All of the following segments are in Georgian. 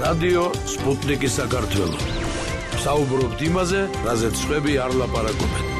რადიო სპუტნიკი საქართველო. საუბრობთ იმაზე, რაზეც სხვები არ ლაპარაკობენ.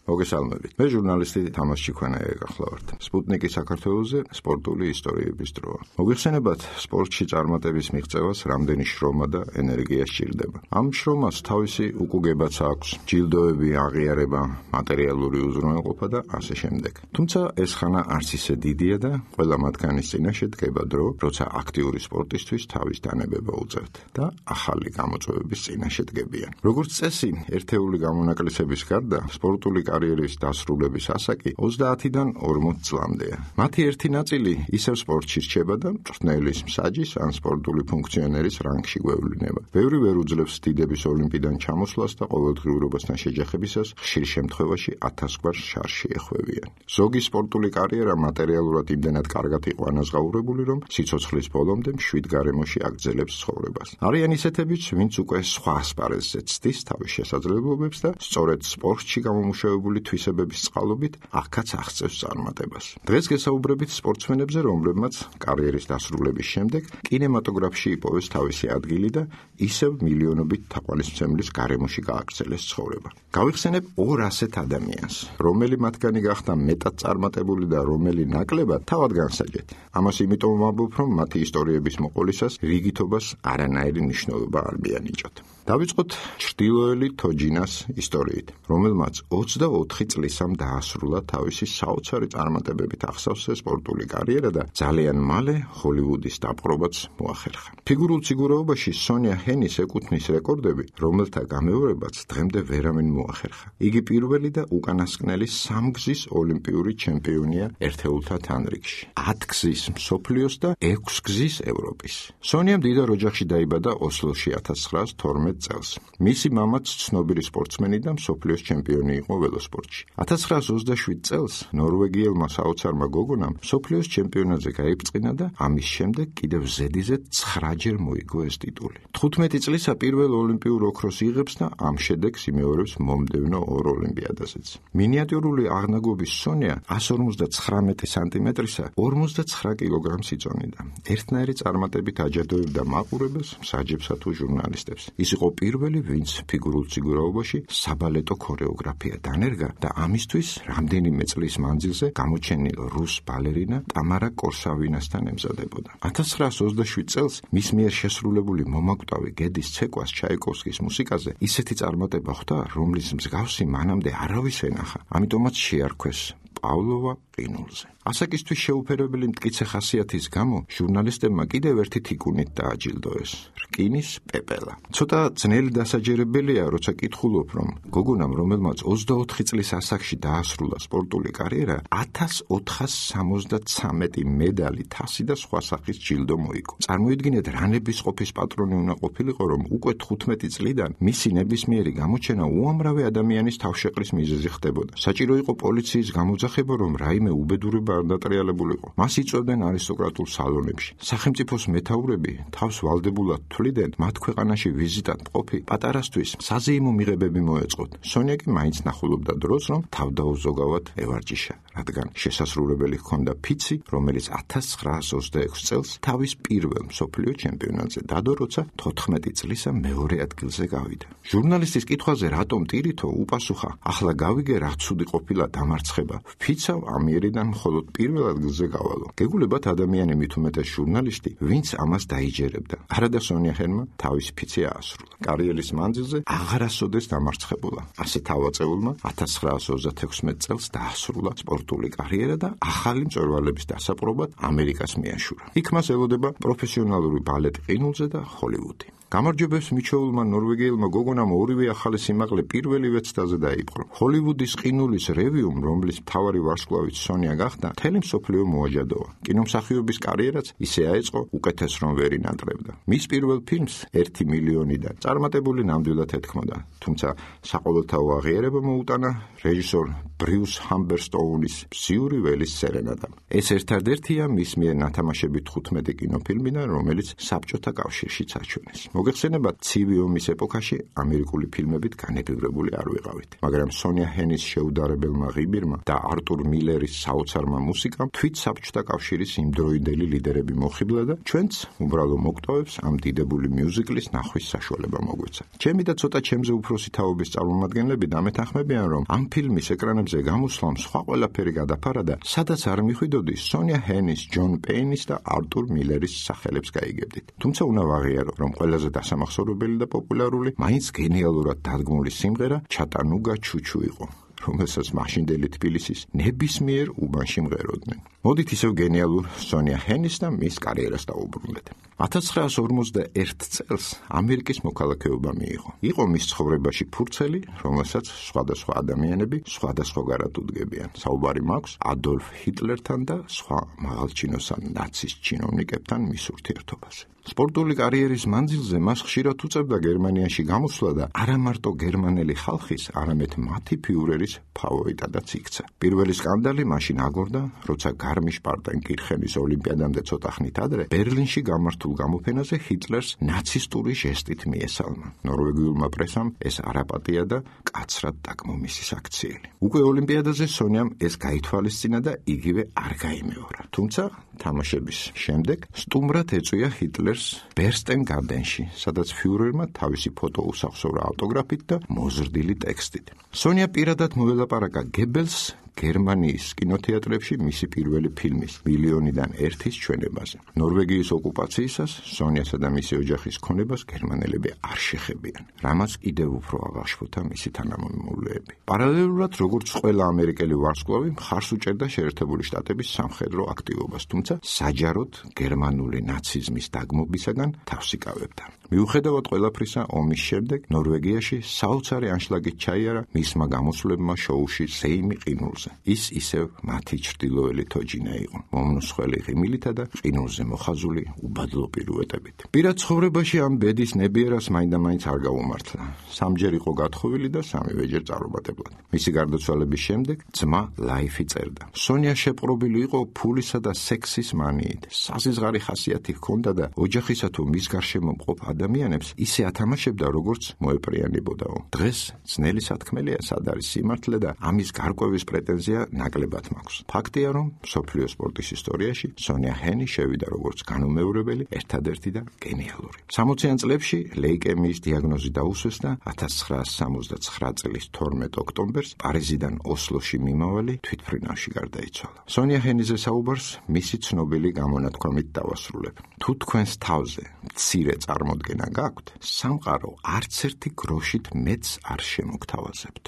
მოგესალმებით. მე ჟურნალისტი თამაზ ჩიქვანაია გახლავართ. სპუტნიკი საქართველოზე სპორტული ისტორიების დროა. მოგვიხსენებათ, სპორტში წარმატების მიღწევას რამდენი შრომა და ენერგია სჭირდება. ამ შრომას თავისი უკუგებაც აქვს, ჯილდოები, აღიარება, მატერიალური უზრუნველყოფა და ასე შემდეგ. თუმცა ეს ხანა არც ისე დიდია და ყველა მათგანის წინაშე დგება დრო, როცა აქტიური სპორტისთვის თავის დანებება უწევთ და ახალი გამოწვევების წინაშე დგებიან. როგორც წესი, ერთეული გამონაკლისების გარდა სპორტული კარიერის დასრულების ასაკი 30-დან 40 წლამდეა. მათი ერთი ნაწილი ისევ სპორტში რჩება და მწვრთნელის, მსაჯის ან სპორტული ფუნქციონერის რანგში გვევლინება. ბევრი ვერ უძლებს დიდების ოლიმპიდან ჩამოსვლას და ყოველდღიურობასთან შეჯახებისას ხშირ შემთხვევაში 1000 გვარ შარში ეხვევიან. ზოგი სპორტული კარიერა მატერიალურად იმდენად კარგად იყო ანაზღაურებული, რომ სიცოცხლის ბოლომდე მშვიდ გარემოში აგრძელებს ცხოვრებას. არიან ისეთებიც, ვინც უკვე სხვა ასპარეზზე ცდის თავის შესაძლებლობებს და სწორედ სპორტში გამომუშავებული თვისებების წყალობით აქაც აღწევს წარმატებას. დღეს გესაუბრებით სპორტსმენებზე, რომლებმაც კარიერის დასრულების შემდეგ კინემატოგრაფში იპოვეს თავისი ადგილი და ისევ მილიონობით თაყვანისმცემლის გარემოში გააგრძელეს ცხოვრება. გავიხსენებ ორ ასეთ ადამიანს, რომელი მათგანი გახდა მეტად წარმატებული და რომელი ნაკლებად თავად განსაჯეთ. ამას იმიტომ ვამბობ, რომ მათი ისტორიების მოყოლისას რიგითობას არანაირი მნიშვნელობა არ მიანიჭოთ. დავიწყოთ ჩრდილოელი თოჯინას ისტორიით, რომელმაც 24 წლისამ დაასრულა თავისი საოცარი წარმატებებით აღსავსე სპორტული კარიერა და ძალიან მალე ჰოლივუდის დაპყრობაც მოახერხა. ფიგურულ ციგურეობაში სონია ჰენის ეკუთვნის რეკორდები, რომელთა გამეორებაც დღემდე ვერავინ მოახერხა. იგი პირველი და უკანასკნელი 3 გზის ოლიმპიური ჩემპიონია ერთეულთა თანრიგში, 10 გზის მსოფლიოს და 6 გზის ევროპის. სონიამ დიდარ ოჯახში დაიბადა ოსლოში 1912 წელს. მისი მამაც ცნობილი სპორტსმენი და მსოფლიოს ჩემპიონი იყო ველოსპორტში. 1927 წელს ნორვეგიელმა საოცარმა გოგონამ მსოფლიოს ჩემპიონატზე გაიბწყინა და ამის შემდეგ კიდევ ზედიზედ 9-ჯერ მოიგო ეს ტიტული. 15 წლისა პირველ ოლიმპიურ ოქროს იღებს და ამ შედეგს იმეორებს მომდევნო ორ ოლიმპიადაზეც. მინიატურული აღნაგობის სონია 159 სანტიმეტრისა 59 კილოგრამს იწონიდა. ერთნაირი წარმატებით აჯადოებდა მაყურებელს, მსაჯებსა თუ ჟურნალისტებს. ის იყო პირველი, ვინც ფიგურულ ციგურაობაში საბალეტო ქორეოგრაფია დანერგა და ამისთვის რამდენიმე წლის მანძილზე გამოჩენილ რუს ბალერინა ტამარა კორსავინასთან ემზადებოდა. 1927 წელს მის მიერ შესრულებული მომაკვდავი გედის ცეკვას ჩაიკოვსკის მუსიკაზე ისეთი წარმატება ხვდა, რომლის მსგავსი მანამდე არავის ენახა. ამიტომაც შეარქვეს პავლოვა ყინულზე. ასაკისთვის შეუფერებელი მტკიცე ხასიათის გამო ჟურნალისტებმა კიდევ ერთი თიკუნით დააჯილდოეს. რკინის პეპელა. ცოტა ძნელი დასაჯერებელია, როცა კითხულობ, რომ გოგონამ, რომელმაც 24 წლის ასაკში დაასრულა სპორტული კარიერა, 1473 მედალი, თასი და სხვა სახის ჯილდო მოიგო. წარმოიდგინეთ, რა ნებისყოფის პატრონი უნდა ყოფილიყო, რომ უკვე 15 წლიდან მისი ნებისმიერი გამოჩენა უამრავი ადამიანის თავშეყრის მიზეზი ხდებოდა. საჭირო იყო პოლიციის გამოძახება, რომ რაიმე უბედურება არ დატრიალებულიყო. მას იწვევდნენ არისტოკრატულ სალონებში. სახელმწიფოს მეთაურები თავს ვალდებულად თვლიდნენ, მათ ქვეყანაში ვიზიტად მყოფი პატარასთვის საზეიმო მიღებები მოეწყოთ. სონია კი მაინც ნახულობდა დროს, რომ თავდაუზოგავად ევარჯიშა, რადგან შესასრულებელი ჰქონდა ფიცი, რომელიც 1926 წელს თავის პირველ მსოფლიო ჩემპიონატზე დადო, როცა 14 წლისა მეორე ადგილზე გავიდა. ჟურნალისტის კითხვაზე რატომ ტირითო, უპასუხა, ახლა გავიგე, რა ცუდი ყოფილა დამარცხება. ფიცავ ამიერიდან მხოლოდ პირველ ადგილზე გავალო. გეგულებათ ადამიანი მით უმეტეს ჟურნალისტი, ვინც ამას დაიჯერებდა. არადა სონია ჰენმა თავის ფიცი აასრულა. კარიერის მანძილზე აღარასოდეს დამარცხებულა. ასე თავაწეულმა 1936 წელს დაასრულა სპორტული კარიერა და ახალი მწვერვალების დასაპყრობად ამერიკას მიაშურა. იქ მას ელოდება პროფესიონალური ბალეტი ყინულზე და ჰოლივუდი. გამარჯვებებს მიჩეულმა ნორვეგიელმა გოგონამ ორივე ახალი სიმაღლე პირველივე ცდაზე დაიპყრო. ჰოლივუდის ყინულის რევიუმ, რომლის მთავარი ვარსკვლავით სონია გახდა, მთელი მსოფლიო მოაჯადოა. კინომსახიობის კარიერაც ისე აეწყო, უკეთეს რომ ვერ ინატრებდა. მის პირველ ფილმს 1 მილიონიდან წარმატებული ნამდვილად ეთქმოდა, თუმცა საყოველთაო აღიარება მოუტანა რეჟისორ ბრიუს ჰამბერსტოუნის „მზიური ველის სერენადამ“. ეს ერთადერთია მის მიერ ნათამაშებით 15 კინოფილმიდან, რომელიც საბჭოთა კავშირშიც აჩვენეს. მოგეხსენებათ, ცივი ომის ეპოქაში ამერიკული ფილმებით განეგრებული არ ვიყავით, მაგრამ სონია ჰენის შეუდარებელმა ღიბირმა და არტურ მილერის საოცარმა მუსიკამ თვით საბჭოთა კავშირის იმდროინდელი ლიდერები მოხიბლა და ჩვენც უბრალო მოკვდავებს ამ დიდებული მიუზიკლის ნახვის საშუალება მოგვეცა. ჩემი და ცოტა ჩემზე უფროსი თაობის წარმომადგენლები დამეთანხმებიან, რომ ამ ფილმის ეკრანებზე გამოსვლამ სხვა ყველაფერი გადაფარა და სადაც არ მიხვიდოდი, სონია ჰენის, ჯონ პეინის და არტურ მილერის სახელებს გაიგებდით. თუმცა უნდა ვაღიარო, რომ ყველაზე დასამახსოვრებელი და პოპულარული მაინც გენიალურად დადგმული სიმღერა ჩატანუგა ჩუჩუ იყო, რომელსაც მაშინდელი თბილისის ნებისმიერ უბანში მღეროდნენ. მოდით ისევ გენიალურ სონია ჰენის და მის კარიერას დავუბრუნდეთ. 1951 წელს ამერიკის მოქალაქეობა მიიღო. იყო მის ცხოვრებაში ფურცელი, რომელსაც სხვადასხვა ადამიანები სხვადასხვაგვარად უდგებიან. საუბარი მაქვს ადოლფ ჰიტლერთან და სხვა მაღალჩინოსან ნაცისტ ჩინოვნიკებთან მის ურთიერთობაზე. სპორტული კარიერის მანძილზე მას ხშირად უწევდა გერმანიაში გამოსვლა და არა მარტო გერმანელი ხალხის, არამედ მათი ფიურერის ფავორიტადაც იქცა. პირველი სკანდალი მაშინ აგორდა, როცა გარმიშ-პარტენ კირხენის ოლიმპიადამდე ცოტა ხნით ადრე ბერლინში გამართულ გამოფენაზე ჰიტლერს ნაცისტური ჟესტით მიესალმა. ნორვეგიულმა პრესამ ეს არაპატია და კაცრად დაკმომისის აქციელი. უკვე ოლიმპიადაზე სონიამ ეს გაითვალისწინა და იგივე არ გაიმეორა. თუმცა თამაშების შემდეგ სტუმრად ეწვია ჰიტლერს ბერსტენ-გარდენში, სადაც ფიურერმა თავისი ფოტო უსახსოვრა ავტოგრაფით და მოზრდილი ტექსტით. სონია პირადად მოელაპარაკა გებელს გერმანიის კინოთეატრებში მისი პირველი ფილმის მილიონიდან ერთის ჩვენებაზე. ნორვეგიის ოკუპაციისას სონიასა და მისი ოჯახის ქონებას გერმანელები არ შეხებიან, რამაც კიდევ უფრო აღაშფოთა მისი თანამემამულეები. პარალელურად, როგორც ყველა ამერიკელი ვარსკვლავი, მხარს უჭერდა შეერთებული შტატების სამხედრო აქტივობას, თუმცა საჯაროდ გერმანული ნაციზმის დაგმობისაგან თავს იკავებდა. მიუხედავად ყველაფრისა, ომის შემდეგ ნორვეგიაში საოცარი ანშლაგით ჩაიარა მისმა გამოსვლებმა შოუში ზეიმი ყინულზე. ის ისევ მათი ჩრდილოელი თოჯინა იყო, მომნუსხველი ღიმილითა და ყინულზე მოხაზული უბადლო პირუეტებით. პირად ცხოვრებაში ამ ბედის ნებიერას მაინდა-მაინც არ გაუმართლა. სამჯერ იყო გათხოვილი და სამივეჯერ წარუმატებლად. მისი გარდაცვალების შემდეგ ძმა ლაიფი წერდა. სონია შეპყრობილი იყო ფულისა და სექსის მანიით. საზღარი ხასიათი ჰქონდა და ოჯახისა თუ მის გარშემო მყოფ ადამიანებს ისე ათამაშებდა, როგორც მოეპრიანებოდაო. დღეს ძნელი სათქმელია, სად არის სიმართლე და ამის გარკვევის პრეტენზია ნაკლებად მაქვს. ფაქტია, რომ მსოფლიო სპორტის ისტორიაში სონია ჰენი შევიდა როგორც განუმეორებელი, ერთადერთი და გენიალური. 60-იან წლებში ლეიკემიის დიაგნოზი დაუსვეს და 1969 წლის 12 ოქტომბერს პარიზიდან ოსლოში მიმავალი თვითმფრინავში გარდაიცვალა. სონია ჰენიზე საუბარს მისი ცნობილი გამონათქვამით დავასრულებ. თუ თქვენს თავზე მცირე წარმოდგენა გაქვთ, სამყარო არც ერთი გროშით მეც არ შემოგთავაზებთ.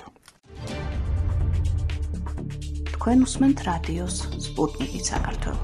თქვენ უსმენთ რადიოს სპუტნიკი საქართველო.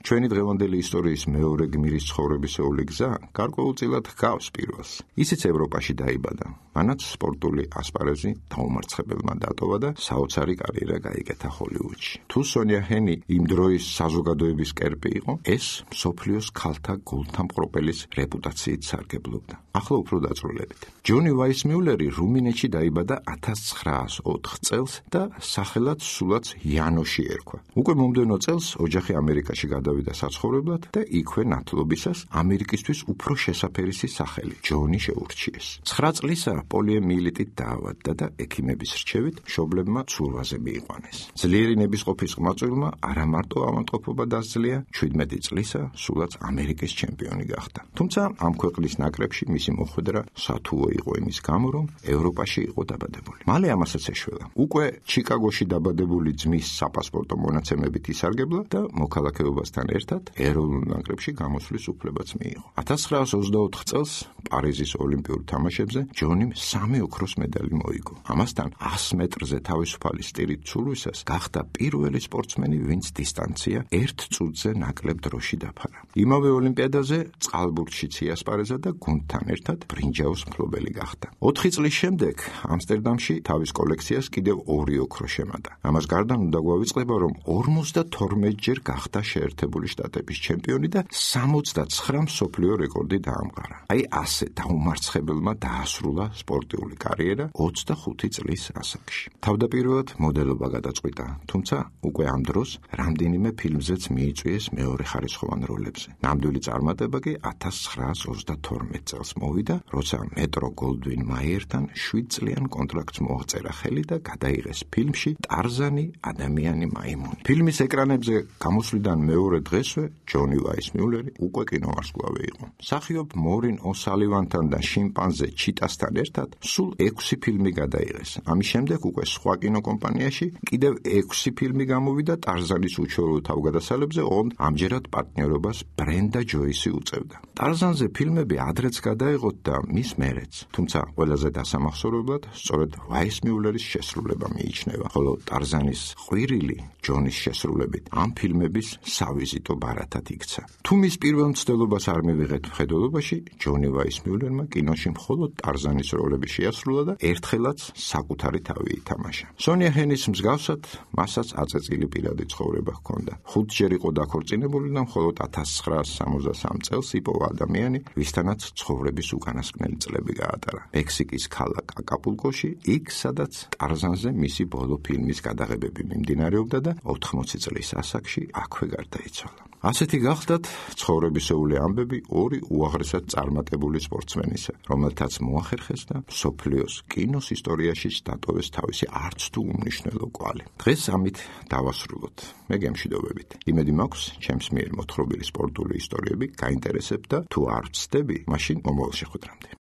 ჩვენი დღევანდელი ისტორიის მეორე გმირის ცხოვრებისეული გზა გარკვეულწილად ჰგავს პირველს. ისიც ევროპაში დაიბადა, მანაც სპორტული ასპარეზი დაუმარცხებელმა დატოვა და საოცარი კარიერა გაიკეთა ჰოლივუდში. თუ სონია ჰენი იმ დროის საზოგადოების კერპი იყო, ეს მსოფლიოს ქალთა გულთამყროპელის რეპუტაციით სარგებლობდა. ახლა უფრო დაწვრილებით. ჯონი ვაისმიულერი რუმინეთში დაიბადა 1904 წელს და სახელად სულაც იანოში ერქვა. უკვე მომდევნო წელს ოჯახი ამერიკაში გადავიდა საცხოვრებლად და იქვე ნათლობისას ამერიკისთვის უფრო შესაფერისი სახელი ჯონი შეურჩიეს. 9 წლისა პოლიომიელიტით დაავადდა და ექიმების რჩევით მშობლებმა ცურვაზე მიიყვანეს. ძლიერი ნებისყოფის ყმაწვილმა არა მარტო ავადმყოფობა დასძლია, 17 წლისა სულაც ამერიკის ჩემპიონი გახდა. თუმცა ამ ქვეყნის ნაკრებში მისი მოხვედრა სათუო იყო იმის გამო, რომ ევროპაში იყო დაბადებული. მალე ამასაც ეშველა. უკვე ჩიკაგოში დაბადებული ძმის საპასპორტო მონაცემებით ისარგებლა და მოქალაქეობასთან ერთად ეროვნულ ნაკრებში გამოსვლის უფლებაც მიიღო. 1924 წელს პარიზის ოლიმპიურ თამაშებზე ჯონიმ 3 ოქროს მედალი მოიგო. ამასთან 100 მეტრზე თავისუფალი სტილით ცურვისას გახდა პირველი სპორტსმენი, ვინც დისტანცია 1 წუთზე ნაკლებ დროში დაფარა. იმავე ოლიმპიადაზე წყალბურთშიც იასპარეზა და გუნდთან ერთად ბრინჯაოს მფლობელი გახდა. 4 წლის შემდეგ ამსტერდამში თავის კოლექციას კიდევ 2 ოქრო შემატა. ამას გარდა უნდა გვავიწყდება, რომ 52 ჯერ გახდა შეერთებული შეერთებული შტატების ჩემპიონი და 69 მსოფლიო რეკორდი დაამყარა. აი ასე დაუმარცხებელმა დაასრულა სპორტული კარიერა 25 წლის ასაკში. თავდაპირველად მოდელობა გადაწყვიტა, თუმცა უკვე ამ დროს რამდენიმე ფილმზეც მიიწვიეს მეორეხარისხოვან როლებზე. ნამდვილი წარმატება კი 1932 წელს მოვიდა, როცა მეტრო გოლდვინ მაიერთან 7 წლიან კონტრაქტს მოაწერა ხელი და გადაიღეს ფილმში ტარზანი ადამიანი მაიმუნი. ფილმის ეკრანებზე გამოსვლიდან მეორე დღესვე ჯონი ვაისმიულერი უკვე კინოვარსკვლავი იყო. მსახიობ მორინ ოსალივანთან და შიმპანზე ჩიტასთან ერთად სულ 6 ფილმი გადაიღეს. ამის შემდეგ უკვე სხვა კინოკომპანიაში კიდევ 6 ფილმი გამოვიდა ტარზანის უჩვეულო თავგადასავლებზე, ოღონდ ამჯერად პარტნიორობას ბრენდა ჯოისი უწევდა. ტარზანზე ფილმები ადრეც გადაიღოთ და მის მერეც, თუმცა ყველაზე დასამახსოვრებლად სწორედ ვაისმიულერის შესრულება მიიჩნევა, ხოლო ტარზანის ყვირილი ჯონის შესრულებით ამ ფილმების სავიზიტო ბარათად იქცა. თუ მის პირველ მცდელობას არ მივიღეთ მხედველობაში, ჯონი ვაისმიულერმა კინოში მხოლოდ ტარზანის როლები შეასრულა და ერთხელაც საკუთარი თავი ითამაშა. სონია ჰენის მსგავსად მასაც აწეწილი პირადი ცხოვრება ჰქონდა. 5 ჯერ იყო დაქორწინებული და მხოლოდ 1963 წელს იპოვა ადამიანი, ვისთანაც ცხოვრების უკანასკნელი წლები გაატარა. მექსიკის ქალაქ აკაპულკოში, იქ სადაც ტარზანზე მისი ბოლო ფილმის გადაღებები მიმდინარეობდა და 80 წლის ასაკში აქვე გარდაიცვალა. ასეთი გახლდათ ცხოვრებისეული ამბები ორი უაღრესად წარმატებული სპორტსმენისა, რომელთაც მოახერხეს და მსოფლიოს კინოს ისტორიაში დატოვეს თავისი არც თუ უმნიშვნელო კვალი. დღეს ამით დავასრულოთ. მე გემშვიდობებით. იმედი მაქვს, ჩემს მიერ მოთხრობილი სპორტული ისტორიები გაინტერესებთ და თუ არ ვცდები, მაშინ მომავალ შეხვედრამდე.